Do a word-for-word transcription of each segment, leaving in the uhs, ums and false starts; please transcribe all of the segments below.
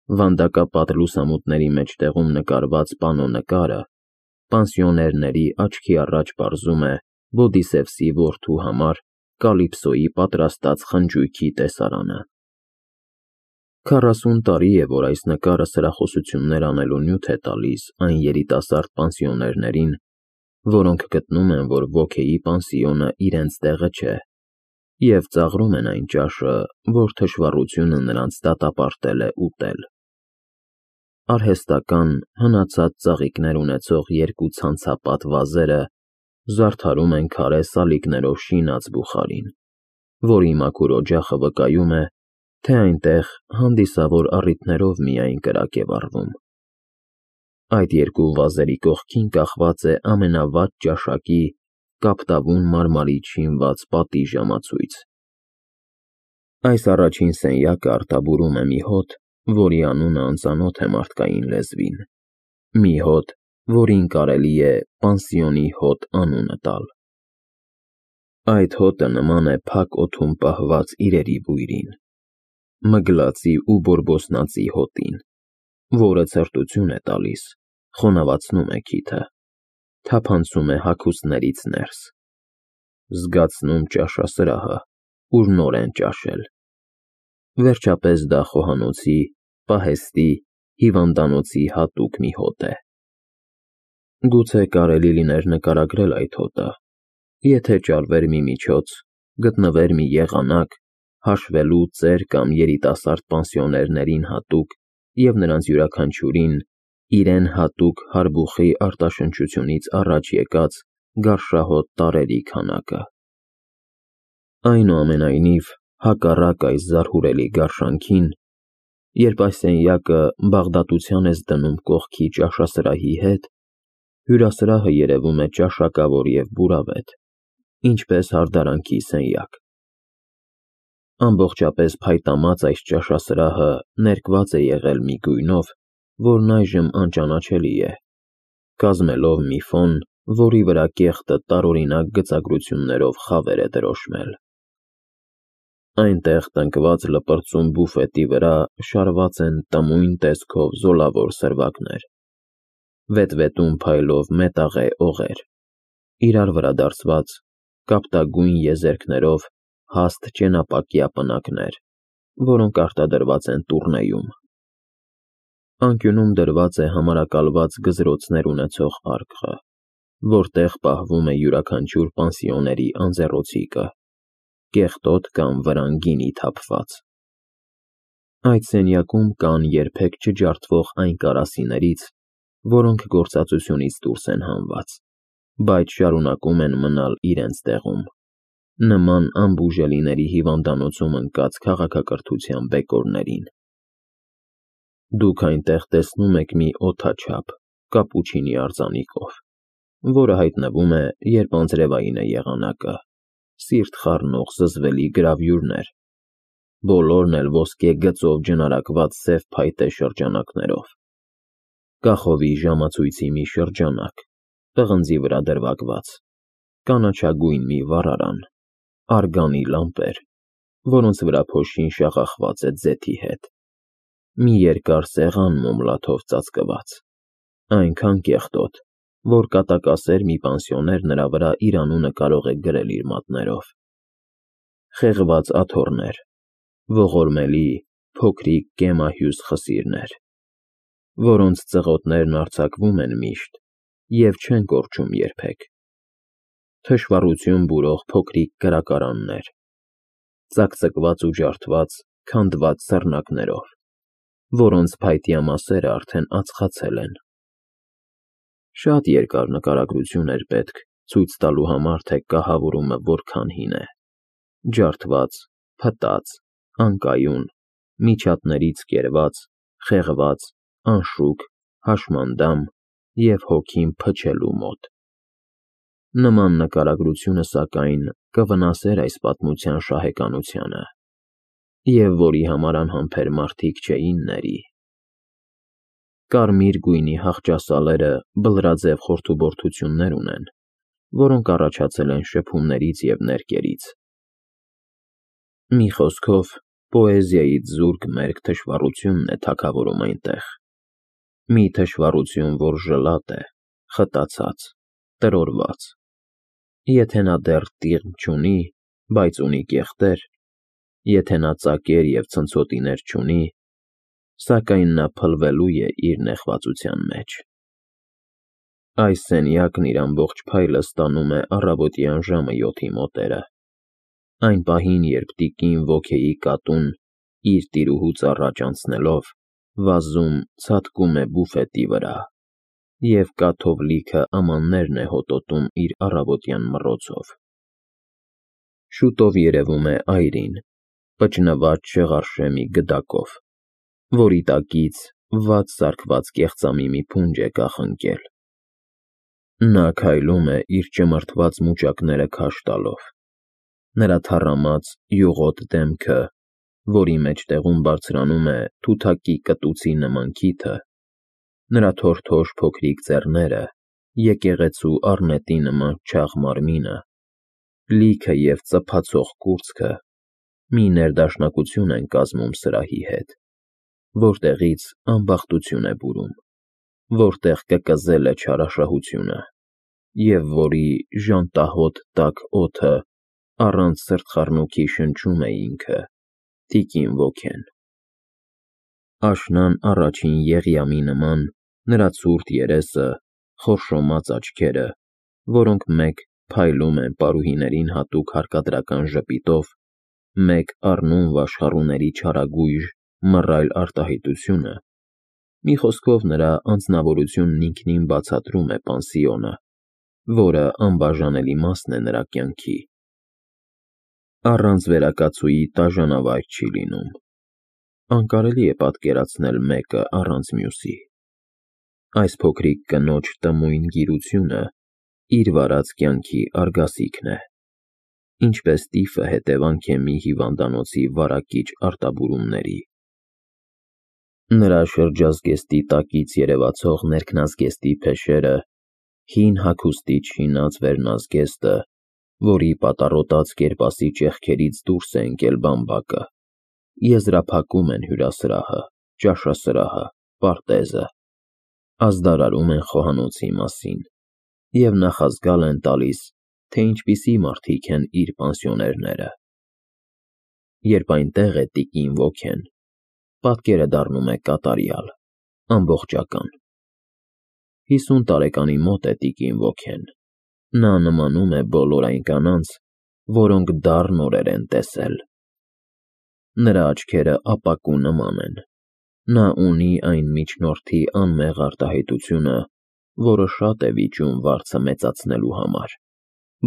Վանդակապատ լուսամուտների մեջտեղում նկարված պանո նկարը պանսիոներների աչքի առաջ պարզում է Բոդիսևսի որդու համար Կալիպսոյի պատրաստած խնջույքի տեսարանը։ Քառասուն տարի է, որ այս նկարը սրախոսություններ անելու նյութ է տալիս այն երիտասարդ պանսիոներներին, որոնք գտնում են, որ ոգեի պանսիոնը իրենց տեղը չէ, և ծաղրում են այն ճաշը, որ թշվառությունը նրանց դատապարտել է ուտել։ Արհեստական, հնացած ծաղիկներ ունեցող երկու ցանցապատ վազերը զարդարում են քարե սալիկներով շինած բուխարին, որի մաքուր օջախը վկայում է, թե այնտեղ հանդիսավոր առիթներով միայն կրակ է վառվում։ Այդ երկու վազերի կողքին կախված է ամենավատ ճաշակի կապտավուն մարմարից շինված պատի ժամացույց։ Այս առաջին սենյակը արտաբուրում է մի հոտ, որի անունը անծանոթ է մարդկային լեզվին, մի հոտ, որին կարելի է պանսիոնի հոտ անունը տալ։ Այդ հոտը նման է փակ օդում պահված իրերի բույրին, մգլածի ու բորբոսնածի հոտին, որը ցրտություն է տալիս, խոնավացնում է քիթը, թափանցում է հագուստներից ներս, զգացնում ճաշասրահը, ուր նոր են ճաշել։ Վերջապես դա խոհանոցի, պահեստի, հիվանդանոցի հատուկ մի հոտ է։ Գուցե կարելի լիներ նկարագրել այդ հոտը, եթե ճարվեր մի միջոց, գտնվեր մի եղանակ, հաշվելու ծեր կամ երիտասարդ պանսիոներներին հատուկ և նրանց յուրաքանչյուրին իրեն հատուկ հարբուխի արտաշնչությունից առաջ եկած գարշահոտ տարրերի քանակը։ Այնուամենայնիվ, հակառակ այս զարհուրելի գարշանքին, երբ այս սենյակը բաղդատության ես դնում կողքի ճաշասրահի հետ, հյուրասրահը երևում է ճաշակավոր և բուրավետ, ինչպես հարդարանքի սենյակ։ Ամբողջապես փայտամած այս ճաշասրահը ներկված է եղել մի գույնով, որն այժմ անճանաչելի է, կազմելով մի ֆոն, որի վրա կեղտը տարօրինակ գծագրություններով խավեր է դրոշմել։ Այնտեղ տնկված լպրծուն բուֆետի վրա շարված են տմույն տեսքով զոլավոր սրվակներ, վետվետուն փայլով մետաղե օղեր, իրար վրա դարսված կապտագույն եզերքներով հաստ ճենապակյա պնակներ, որոնք արտադրված են Տուռնեում։ Անկյունում դրված է համարակալված գզրոցներ ունեցող արկղը, որտեղ պահվում է յուրաքանչյուր պանսիոների անձեռոցիկը, կեղտոտ կամ վրան գինի թափված։ Այդ սենյակում կան երբեք չջարդվող այն կարասիներից, որոնք գործածությունից դուրս են հանված, բայց շարունակում են մնալ իրենց տեղում, նման անբուժելիների հիվանդանոցում ընկած քաղաքակրթության բեկորներին։ Դուք այնտեղ տեսնում եք մի օդաչափ կապուչինի արձանիկով, որը հայտնվում է, երբ անձրևային է եղանակը, սիրտ խառնող զզվելի գրավյուրներ, բոլորն էլ ոսկե գծով ջնարակված սև փայտե շրջանակներով, կախովի ժամացույցի մի շրջանակ, պղնձի վրա դրվագված, կանաչագույն մի վառարան, արգանի լամպեր, որոնց վրա փոշին շաղախված է ձեթի հետ, մի երկար սեղան մոմլաթով ծածկված, այնքան կեղտոտ, որ կատակասեր մի պանսիոներ նրա վրա իր անունը կարող է գրել իր մատներով, խեղված աթոռներ, ողորմելի, փոքրիկ կեմահյուս խսիրներ, որոնց ծղոտներն արձակվում են միշտ և չեն կորչում երբեք, թշվառություն բուրող փոքրիկ կրակարաններ, ծակծկված ու ջարդված, քանդված սռնակներով, որոնց փայտյա մասերը արդեն ածխացել են։ Շատ երկար նկարագրություն էր պետք ցույց տալու համար, թե կահավորումը որքան հին է, ջարդված, փտած, անկայուն, միջատներից կերված, խեղված, անշուք, հաշմանդամ և հոգին փչելու մոտ։ Նման նկարագրությունը, սակայն, կվնասեր այս պատմության շահեկանությանը, և որի համար անհամբեր մարդիկ չէին ների։ Կարմիր գույնի հախճասալերը բլրաձև խորթուբորդություններ ունեն, որոնք առաջացել են շփումներից և ներկերից։ Մի խոսքով, Պոեզիայից զուրկ մերկ թշվառությունն է թագավորում այնտեղ, մի թշվառություն, որ ժլատ է, խտացած, տրորված, եթե նա դեռ տիղմ չունի, բայց ունի կեղտեր, եթե նա ծակեր և ցնցոտիներ չունի, սակայն նա փլվելու է իր նեղվածության մեջ։ Այս սենյակն իր ամբողջ փայլը ստանում է առավոտյան ժամը յոթի մոտերը, այն պահին, երբ տիկին Ոքեի կատուն, իր տիրուհուց առաջ անցնելով, վազում ցատկում է բուֆետի վրա, և կաթով լիքը ամաններն է հոտոտում իր առավոտյան մռոցով։ Շուտով երևում է այրին, պճնված չեղարշեմի գդակով, որի տակից վատ սարքված կեղծամի մի փունջ է կախնկել։ Նա քայլում է իր ճմրթված մուճակները քաշ տալով, նրա թառամած, յուղոտ դեմքը, որի մեջտեղում բարձրանում է թութակի կտուցի նման քիթը, նրա թորթոշ փոքրիկ ձեռները, եկեղեցու առնետի նման չաղ մարմինը, լիքը և ծփացող կուրծքը մի ներդաշնակություն են կազմում սրահի հետ, որտեղից անբախտություն է բուրում, որտեղ կկզել է չարաշահությունը, և որի ժանտահոտ տաք օդը առանց սրտխառնոքի շնչում է ինքը, տիկին Ոքեն։ Աշնան առաջին եղյամի նման նրա ցուրտ երեսը, խորշոմած աչքերը, որոնք մեկ փայլում են պարուհիներին հատուկ հարկադրական ժպիտով, մեկ առնում վաշխառուների չարագույժ, մռայլ արտահայտությունը, մի խոսքով նրա անձնավորությունն ինքնին բացատրում է պանսիոնը, որը անբաժանելի մասն է նրա կյանքի։ Առանց վերակացուի տաժանավայր չի լինում։ Անկարելի է պատկերացնել մեկը առանց մյուսի։ Այս փոքրիկ կնոջ տմույն գիրությունը իր վարած կյանքի արգասիքն է, ինչպես տիֆը հետևանք է մի հիվանդանոցի վարակիչ արտաբուրումների։ Նրա շրջազգեստի տակից երևացող ներքնազգեստի փեշերը, հին հագուստի չինած վերնազգեստը, որի պատառոտած կերպասի ճեղքերից դուրս է ընկել բամբակը, եզրափակում են հյուրասրահը, ճաշասրահը, պարտեզը, ազդարարում են խոհանոցի մասին և նախազգալ են տալիս, թե ինչպիսի մարդիկ են իր պանսիոներները։ Երբ այնտեղ է տիկին Ոքեն, պատկերը դառնում է կատարյալ, ամբողջական։ Հիսուն տարեկանի մոտ է տիկին Ոքեն, նա նմանում է բոլոր այն կանանց, որոնք դառն օրեր են տեսել։ Նրա աչքերը ապակու նման են, նա ունի այն միջնորդի անմեղ արտահայտությունը, որը շատ է վիճում վարձը մեծացնելու համար,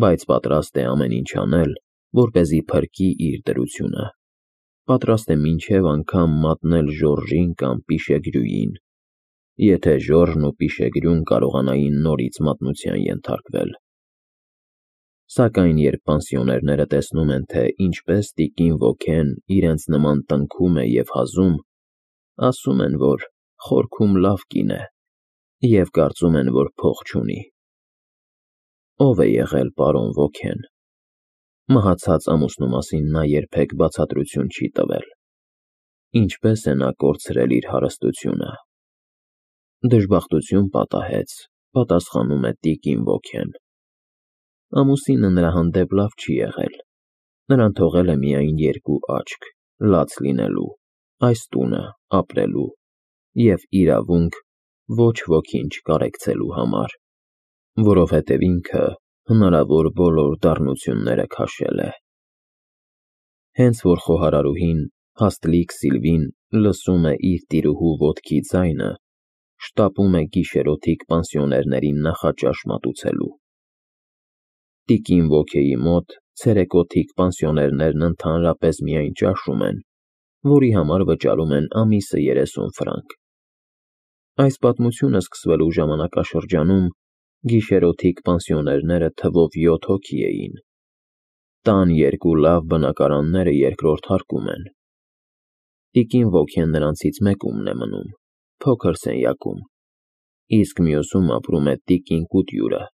բայց պատրաստ է ամեն ինչ անել, որպեսզի փրկի իր դրությունը, պատրաստ է մինչև անգամ մատնել Ժորժին կամ Պիշեգրյուին, եթե Ժորժն ու Պիշեգրյուն կարողանային նորից մատնության ենթարկվել։ Սակայն երբ պանսիոներները տեսնում են, թե ինչպես տիկին Ոքեն իրենց նման տնքում է և հազում, ասում են, որ խորքում լավ կին է և կարծում են, որ փող չունի։ Ո՞վ է եղել պարոն Ոքեն։ Մահացած ամուսնու մասին նա երբեք բացատրություն չի տվել։ Ինչպես է նա կորցրել իր հարստությունը։ Դժբախտություն պատահեց, պատասխանում է տիկին Ոքեն։ Ամուսինը նրա հանդեպ լավ չի եղել, նրան թողել է միայն երկու աչք, լաց լինելու, այս տունը ապրելու և իրավունք ոչ ոքին չկարեկցելու համար, որովհետև ինքը հնարավոր բոլոր դառնությունները քաշել է։ Հենց որ խոհարարուհին, հաստլիկ Սիլվին, լսում է իր տիրուհու ոտքի ձայնը, շտապում է գիշերօթիկ պանսիոներներին նախաճաշ մատուցելու։ Տիկին Ոքեի մոտ ցերեկօթիկ պանսիոներներն ընդհանրապես միայն ճաշում են, որի համար վճարում են ամիսը երեսուն ֆրանկ։ Այս պատմությունը սկսվելու ժամանակաշրջանում գիշերօթիկ պանսիոներները թվով յոթ հոգի էին։ Տան երկու լավ բնակարանները երկրորդ հարկում են։ Տիկին Ոքեն նրանցից մեկումն է մնում, փոքր սենյակում, իսկ մյուսում ապրում է տիկին Կուտյուրը,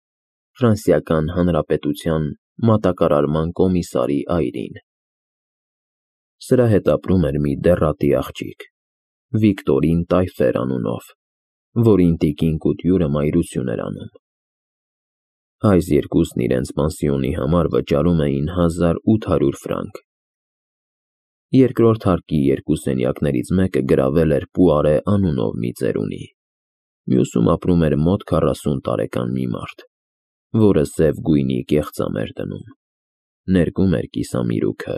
Ֆրանսիական Հանրապետության մատակարարման կոմիսարի այրին։ Սրա հետ ապրում էր մի դեռատի աղջիկ, Վիկտորին Տայֆեր անունով, որին տիկին Կուտյուրը մայրություն էր անում։ Այս երկուսն իրենց պանսիոնի համար վճարում էին հազար ութ հարյուր ֆրանկ։ Երկրորդ հարկի երկու սենյակներից մեկը գրավել էր Պուարե անունով մի ծերունի, մյուսում ապրում էր մոտ քառասուն տարեկան մի մարդ, որը սև գույնի կեղծամ էր դնում, ներկում էր կիսամիրուքը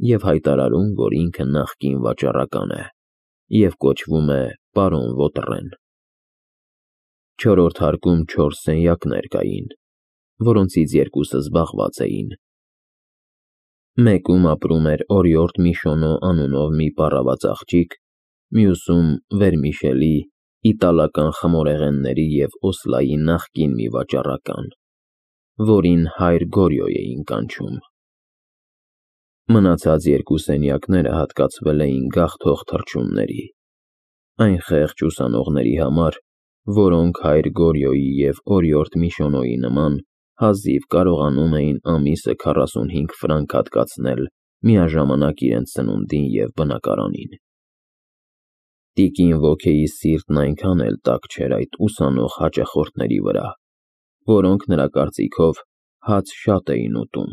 և հայտարարում, որ ինքը նախկին վաճառական է և կոչվում է պարոն Վոտրեն։ Չորրորդ հարկում չորս սենյակներ կային, որոնցից երկուսը զբաղված էին։ Մեկում ապրում էր օրիորդ Միշոնո անունով մի պառաված աղջիկ, մյուսում Վերմիշելի, իտալական խմորեղենների և օսլայի նախկին մի վաճառական, որին հայր Գորյո էին կանչում։ Մնացած երկու սենյակները հատկացվել էին գաղթող թռչունների, այն խեղճ ուսանողների համար, որոնք հայր Գորյոյի և օրիորդ Միշոնոյի նման հազիվ կարողանում էին ամիսը քառասունհինգ ֆրանկ հատկացնել միաժամանակ իրենց սնունդին և բնակարանին։ Տիկին Վոքեի սիրտն այնքան էլ տաք չէր այդ ուսանող հաճախորդների վրա, որոնք նրա կարծիքով հաց շատ էին ուտում։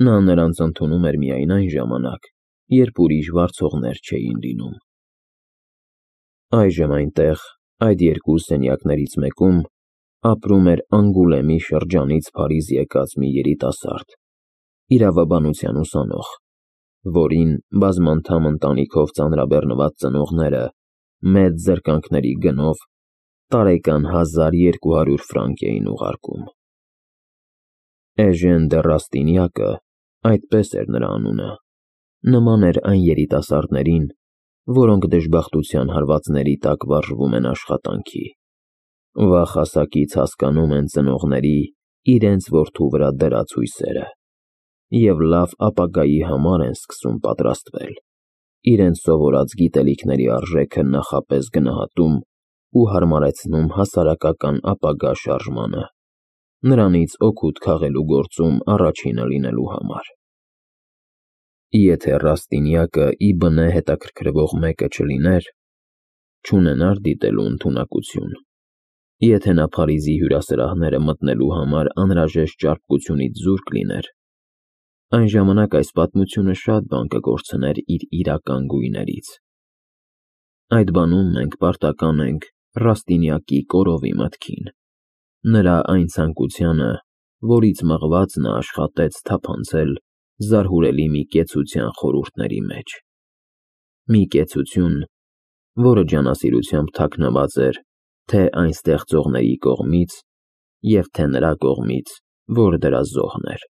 Նա նրանց ընդունում էր միայն այն ժամանակ, երբ ուրիշ վարձողներ չէին լինում։ Այժմ այնտեղ, այդ երկու սենյակներից մեկում, ապրում էր Անգուլեմի շրջանից Փարիզ եկած մի երիտասարդ, իրավաբանության ուսանող, որին բազմանդամ ընտանիքով ծանրաբեռնված ծնողները մեծ զրկանքների գնով տարեկան հազար երկու հարյուր ֆրանկ էին ուղարկում։ Էժեն դը Ռաստինյակը, այդպես էր նրա անունը, նման էր այն երիտասարդներին, որոնք դժբախտության հարվածների տակ վարժվում են աշխատանքի, վաղ հասակից հասկանում են ծնողների իրենց որդու վրա դրած հույսերը և լավ ապագայի համար են սկսում պատրաստվել, իրենց սովորած գիտելիքների արժեքը նախապես գնահատում ու հարմարեցնում հասարակական ապագա շարժմանը, նրանից օգուտ քաղելու գործում առաջինը լինելու համար։ Եթե Ռաստինյակը ի բնե հետաքրքրվող մեկը չլիներ, չունենար դիտելու ընդունակություն, եթե նա Փարիզի հյուրասրահները մտնելու համար անհրաժեշտ ճարպկությունից զուրկ լիներ, այն ժամանակ այս պատմությունը շատ բան կկորցներ իր իրական գույներից։ Այդ բանում մենք պարտական ենք Ռաստինյակի կորովի մտքին, նրա այն ցանկությանը, որից մղված նա աշխատեց թափանցել զարհուրելի մի կեցության խորհուրդների մեջ, մի կեցություն, որը ջանասիրությամբ թաքնված էր թե այն ստեղծողների կողմից և թե նրա կողմից, որ դրա զոհն էր։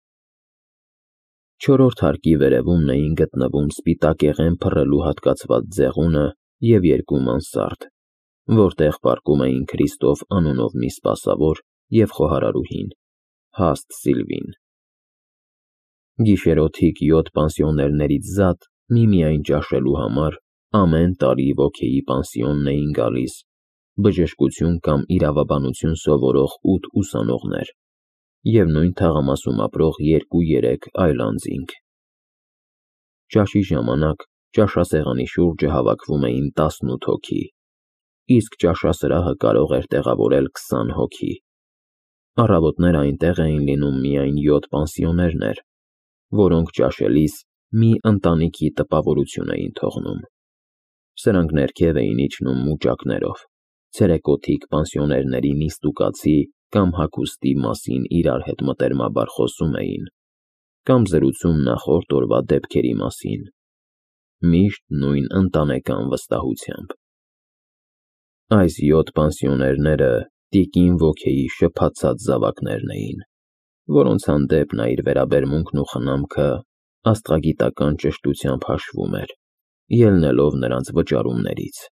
Չորրորդ հարկի վերևումն էին գտնվում սպիտակեղեն փռելու հատկացված ձեղունը և երկու մանսարդ, որտեղ պառկում էին Քրիստոֆ անունով մի սպասավոր և խոհարարուհին, հաստ Սիլվին։ Գիշերօթիկ յոթ պանսիոներներից զատ միմիայն ճաշելու համար ամեն տարի Վոքեի պանսիոնն էին գալիս բժշկություն կամ իրավաբանություն սովորող ութ ուսանողներ և նույն թաղամասում ապրող երկու֊երեք այլ անձինք։ Ճաշի ժամանակ ճաշասեղանի շուրջը հավաքվում էին տասնութ հոգի, իսկ ճաշասրահը կարող էր տեղավորել քսան հոգի։ Առավոտները այնտեղ էին լինում միայն յոթ պանսիոներներ, որոնք ճաշելիս մի ընտանիքի տպավորություն էին թողնում։ Սրանք ներքև էին իջնում մուճակներով, ցերեկոթիկ պանսիոներների նիստուկացի կամ հագուստի մասին իրար հետ մտերմաբար խոսում էին կամ զրուցում նախորդ օրվա դեպքերի մասին, միշտ նույն ընտանեկան վստահությամբ։ Այս յոթ պանսիոներները տիկին Վոքեի շփաթած զավակներն էին, որոնց հանդեպ նա իր վերաբերմունքն ու խնամքը աստղագիտական ճշտությամբ հաշվում էր, ելնելով նրանց վճարումներից։